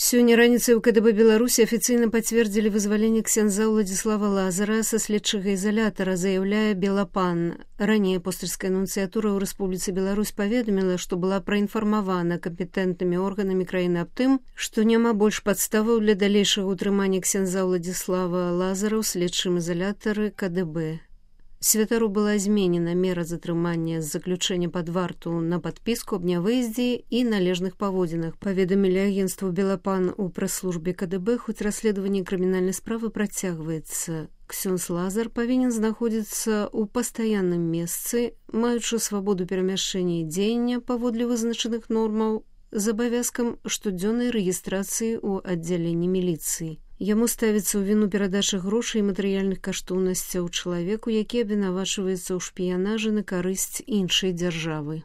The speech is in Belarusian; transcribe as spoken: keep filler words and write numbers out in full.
Сёння раніцай у КДБ Беларусі афіцыйна пацвердзілі вызваленне ксяндза Уладзіслава Лазара са следчага ізалятара, заяўляе Белапан. Ранее апостальская нунцыятура ў Рэспубліцы Беларусь паведаміла, што была праінфармавана кампетэнтнымі органамі краіны аб тым, што няма больш падставаў для далейшага ўтрымання ксяндза Уладзіслава Лазара ў следчым ізалятары КДБ. Святару была зменена мера затрымання з заключэння пад варту на падпіску аб нявыездзе і належных паводзінах, паведамілі агенцтву Белапан у прэс-службе КДБ, хоць расследаванне крымінальнай справы працягваецца. Ксёндз Лазар павінен знаходзіцца ў пастаянным месцы, маючы свабоду перамяшчэння і дзеяння паводле вызначаных нормаў, з абавязкам штодзённай рэгістрацыі ў аддзяленні міліцыі. Яму ставіцца ў віну перадача грошай і матэрыяльных каштоўнасцяў чалавеку, які абвінавачваецца ў шпіянажы на карысць іншай дзяржавы.